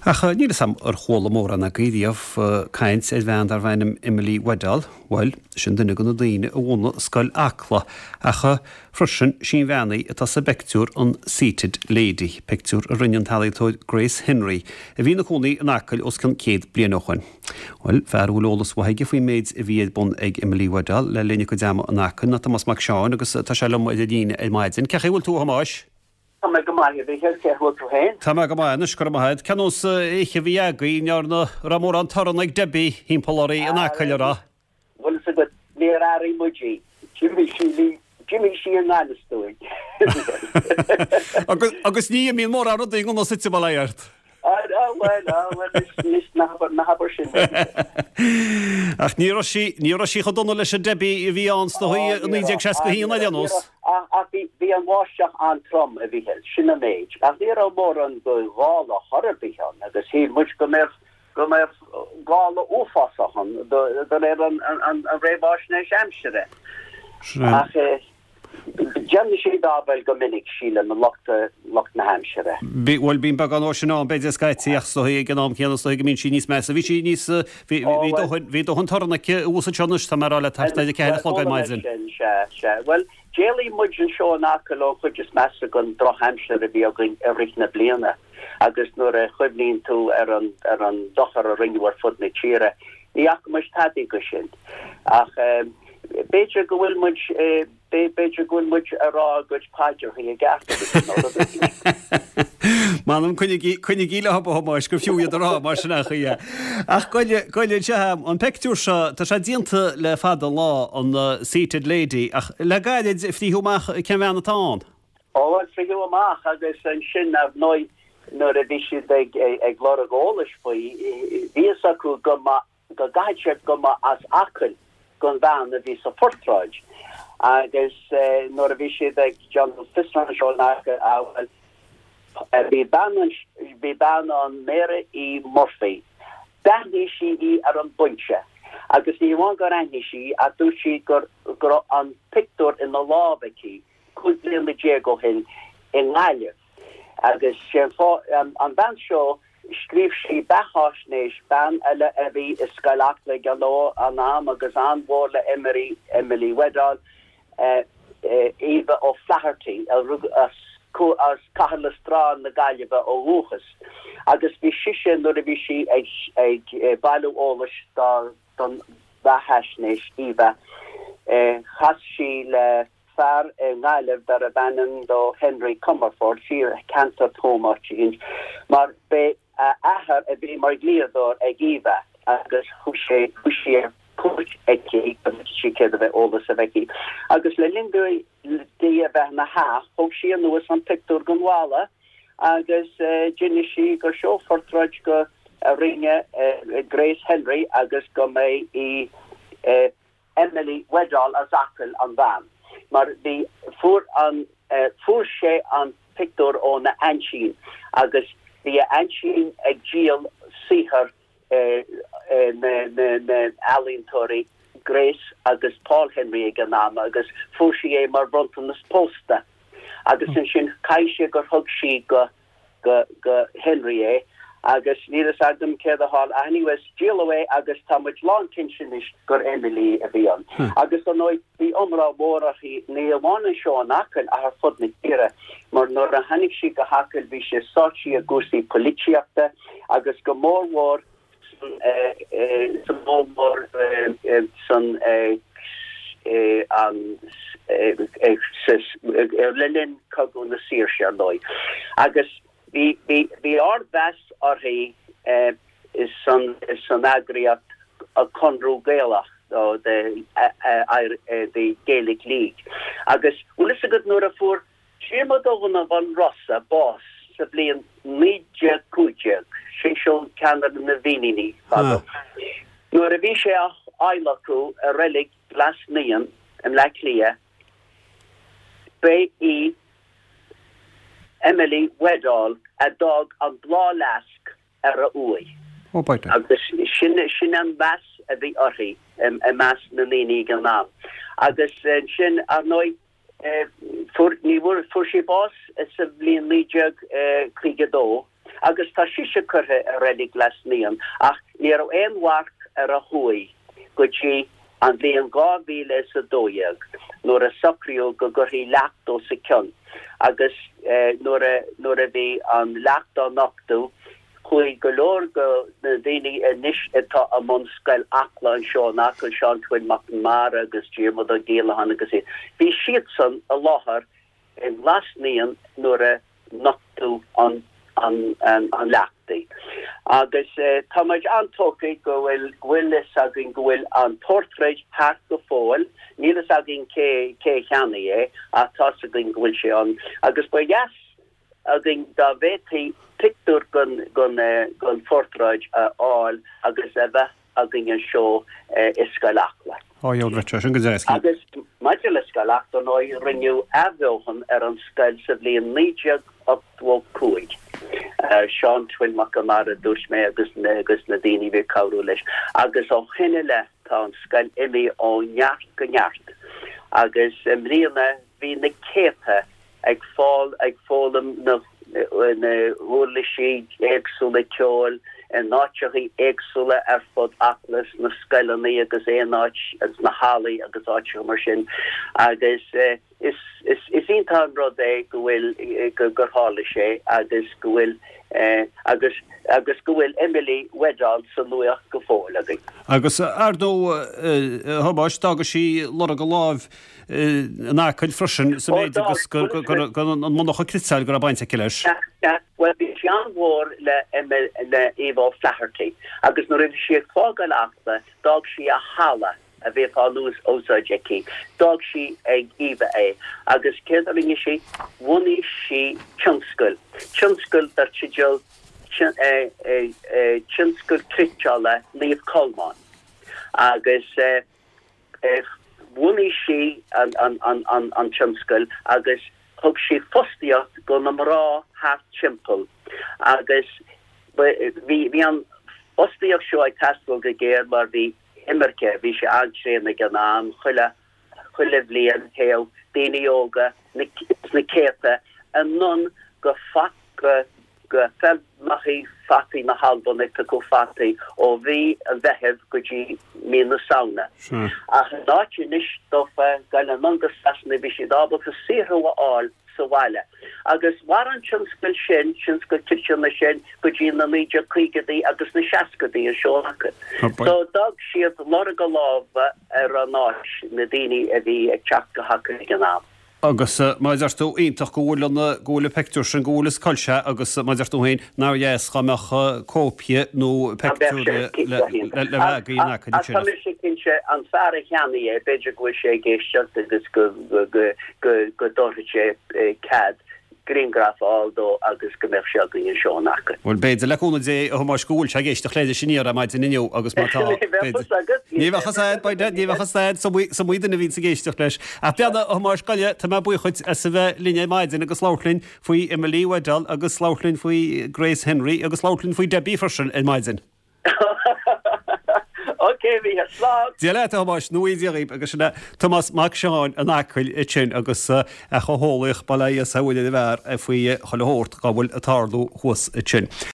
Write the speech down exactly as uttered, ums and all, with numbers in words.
Ach níl a fhios agam ar chuala mórán agaibh riamh caint ar bhean darbh ainm Emily Weddall, bhuel, sin duine de na daoine a bhunaigh Scoil Acla, ach freisin sí an bhean í atá sa bpictiúr an Seated Lady, pictiúr a rinne an t-ealaíontóir Grace Henry, a bhí ina cónaí in Acaill os cionn céad bliain ó shoin. Bhuel, fear a bhfuil eolas mhaith aige faoin méid a bhí ar bun ag Emily Weddall le linn a cuid ama in Acaill ná Tomás Mac Seáin agus tá sé liom ar an líne ar maidin. Cén chaoi a bhfuil tú a Thomáis? Tá mé go maith, a Mhíchíl, cén chaoi a bhfuil tú féin? Tá mé go maith anois, go raibh maith agat. Cén nós oíche a bhí agaibh, an ndearna, raibh mórán torann ag Debbie thimpeall oraibh in Acaill, an raibh? Bhfuil fhios agat, níor airigh muid í. D'imigh sí lí, d'imigh sí i ngan fhios dúinn. Agus, agus ní imíonn mórán rudaí i ngan fhios duit, bail ó Dhia ort. Ah, bhuel, ah, bhuel, anois, ná habair, ná habair sin. Ach ní raibh sí, ní raibh sí chomh dona leis an Debbie a bhí ann sna Ó, ní naoi déag raibh, seasca ah, ní haon ar raibh, aon ní nós. raibh, ach, ach bhí, bhí an bháisteach an-trom, a Mhíchíl, sin an méid. Ach ní raibh mórán de ghála chor ar bith ann agus shíl muid go mbeadh, go mbeadh gála uafásach ann de, de réir an, an, an, an réamhaisnéis aimsire. Sin é. Ach eh, Déanann siad áibhéil go minic, sílim, lucht, lucht na haimsire. Bí, bhuel, bíonn beagán dhó sin ann, b'fhéidir, scaití, ach is dóigh ag an am céanna is dóigh go mbíonn sí níos measa. Bhí sí níos, bhí, Ó, bhí bhuel. dóthain, bhí dóthain torann aici abhus anseo anois, tá mé a rá leat, thart ar a ceathair a Bhuel, chlog ar chuala mé maidin. sin, sea, sea. Bhuel, d'éalaigh muid anseo in Acaill ón chuid is measa den drochaimsir a bhí againn i rith na bliana agus nuair a chuimhníonn tú ar an, ar an dochar a rinneadh ar fud na tíre, ní fhaca muid tadaí de sin. Ach eh, b'fhéidir go bhfuil muid, eh, b'fhéidir go bhfuil muid ag rá ár gcuid paidreacha i gceart agus nó rud éigin. M'anam coinnigí, coinnigí leo a Thomáis gur fiú iad a rá mar sin acha é. Ach goile, goile anseo, an pictiúr seo, tá sé déanta le fada an lá, an uh, Seated Lady, ach le gairid frítheadh amach cén bhean atá ann. Ó, bhuel, frítheadh amach agus ansin ar ndóigh nuair a bhí siad ag, ag, ag lorg eolais faoi, bhí fhios acu go mba, go gcaithfidh sé go mba as Acaill don bhean a bhí sa phortráid. Agus eh, nuair a bhí siad ag déanamh fiosrúcháin anseo in Acaill, ah, bhuel, eh, bhí bean an, bhí bean ann Mary E. Murphy. D'aithnigh sí í ar an bpointe. Agus ní amháin gur aithnigh sí, ach dúirt sí gur, go raibh an pictiúr ina lámh aici cúig bliana déag ó shin i nGaillimh. Agus sé an fáth, an, an bhean seo, scríobh sí beathaisnéis bean eile a bhí i Scoil Acla ag an am agus an-mhór le Emily, Emily Weddall, eh, eh, Eva O'Flaherty, a rugadh as, as Cathair Loistreáin na Gaillimhe ó dhúchas. Agus bhí sise nuair a bhí sí ag, ag eh, bailiú eolais dá, don bheathaisnéis Eva, eh, chas sí le fear i nGaillimh darbh ainm dó Henry Comerford, siar ceantar Tuaim áit éigin, mar b'é a athair a bhí mar dhlíodóir ag Eva agus chuaigh sé, chuaigh sí ar cuairt aici agus sí céad a bheith eolas a bheith aici. Agus le linn di di a bheith ina theach, thóg sí anuas an pictiúr den bhalla agus eh, d'inis sí gur seo portráid go a rinne eh, Grace Henry agus go mba í eh, Emily Weddall as Acaill an bhean. Mar bhí fuair an eh, fuair sé an pictiúr óna aintín agus bhí a aintín ag díol saothar eh, eh, na, na, na ealaíontóirí Grace agus Paul Henry ag an am agus fuair sí é mar bhronntanas pósta. Agus ansin caithfidh sé gur thug sí go go go Henry é agus níl fhios agam céard a tharla anyways díoladh é agus tá muid lánchinnte anois gur Emily a bhí ann. Agus ar ndóigh bhí iomrá mór uirthi ní amháin anseo in Acaill ach ar fud na tíre, mar nuair a tháinig sí go hAcaill bhí sí sáite i gcúrsaí polaitíochta agus go mórmhór san eh, eh, san mórmhór eh, eh, san eh, eh, an eh, eh, sa- eh, le linn Cogadh na Saoirse ar ndóigh. Agus bhí bhí bhí ardmheas uirthi eh, san san eagraíocht a Conradh Gaelach nó the uh, uh, uh, the Gaelic League. Agus bhfuil fhios agat nuair a fuair Diarmuid Ó Donnabháin Rosa bás sa bhliain naoi déag cúig déag, sin seo ceann de na bhFíníní fadó. Nuair a bhí sé á adhlacadh i reilig Ghlas Naíon i mBleá Cliath, ba í Emily Weddall a d'fhág an bláthfhleasc ar a uaigh. Ó b'fhéidir. Agus sin sin an meas a bhí uirthi i measc na ndaoine ag an am. Agus sin ar ndóigh eh, fuair ní bhfuair fuair sí bás sa bhliain naoi déag caoga dó Agus tá sise curtha i Reilig Ghlas Naíon, ach ní raibh aon mharc ar a huaigh go dtí an bhliain dhá mhíle is a dó dhéag nuair a socraíodh go gcuirfí leacht os a cionn. Agus nuair a nuair a bhí an leacht á nochtadh, chuaigh go leor de na daoine anois atá i mbun Scoil Acla anseo in Acaill, Seán Twin Mac Conmara agus Diarmuid Ó Giolacháin agus iad, bhí siadsan i láthair i nGlas Naíon nuair a nochtadh an an leacht í. Agus tá muid an-tógtha go bhfuil go bhfuil fhios againn go bhfuil an portráid thart go fóill, níl fhios againn cé cé a cheannaigh é ach tá's againn go bhfuil sé ann. Agus ba dheas againn dá bhféadfaí pictiúr den den den phortráid a fháil agus a bheith againn anseo i Scoil Acla. Á, gheobhaidh sé sin go deas. Agus maidir le Scoil Acla, ar ndóigh, rinneadh athbheochan ar an scoil sa bhliain naoi déag ochtó cúig. Seán Twin Mac Conmara, dúirt mé, agus agus na daoine a bhí ag cabhrú leis. Agus ó shin i leith tá an scoil imithe ó neart go neart. Agus i mbliana bhí na céadta ag fáil ag foghlaim na na huirlisí éagsúla ceoil in áiteachaí éagsúla ar fud Acla, sna scoileanna agus aon áit, sna hallaí agus áiteacha mar sin agus is is is iontach an rud é go bhfuil go gur tharla sé agus go bhfuil agus agus go bhfuil Emily Weddall sa nuacht go fóill againn. Agus ar ndóigh a Thomáis, d'fhága sí lorg a lámh in Acaill freisin sa méid agus go an monarcha cniotála go raibh baint aici leis. Bhuel bhí sí an-mhór le le Eva O'Flaherty agus nuair a bhí sí ag fágáil Acla d'fhág sí a halla a bhíodh á úsáid aici. D'fhág sí ag Eva é agus céard a rinne sí? Bhunaigh sí tionscal, tionscal dar teideal Tionscal Cniotála Naomh Colmán agus bhunaigh sí an tionscal agus thug sí fostaíocht go na mná thart timpeall agus bhí an fhostaíocht seo ag teastáil go géar mar bhí imirce, bhí sé an-tréan ag an am, chuile chuile bhliain théadh daoine óga sna céadta anonn go go go feirmeachaí fataí na hAlban ag piocadh fataí ó mhí an Mheithimh go dtí mí na Samhna. Ach in áit anois dófa dul anonn go Sasana bhí siad ábalta saothrú a fháil sa bhaile. Agus mhair an tionscal sin, tionscal cniotála sin, go dtí na naoi déag caogaidí agus na seascaidí anseo acu. So d'fhág siad lorg a lámha ar an áit, na daoine a bhí ag teacht go hAcaill ag an am. Agus mar a deir tú, iontach go bhfuil an, go bhfuil an peictiúr sin, go bhfuil is cá bhfuil sé agus mar a deir tú féin, nár dheas dhá mbeadh cóipie nó peictiúr le le le bheith againn acu Ach tá mise cinnte, an fear a cheannaigh é, b'fhéidir go bhfuil sé ag éisteacht agus go go go go go dtabharfaidh sé cead grianghraf a fháil dó agus go mbeadh sé againn anseo in Acaill. Bhuel, b'fhéidir, le cúnamh Dé, a Thomáis, go bhfuil sé ag éisteacht leis aniar ar maidin inniu agus má tá, Ní bheadh fhios agat. Ní bheadh fhios a'd, b'fhéidir, ní bheadh fhios a'd, is iomaí duine a bhíonns ag éisteacht leis. Ach beannacht, a Thomáis, gabh i leith, tá mé buíoch dhuit as a bheith linn ar maidin agus labhairt linn faoi Emily Weddall agus labhairt linn faoi Grace Henry agus labhairt linn faoi Debbie freisin ar maidin. Ok, a Mhícheáil, slán! Dia leat, a Thomáis, nó Dia dhaoibh, agus sin é Tomás Mac Seáin in Acaill ansin agus é chomh heolaíoch bail ó Dhia is a bhfuil ar an bhfear faoi chuile shórt dá bhfuil ag tarlú thuas ansin.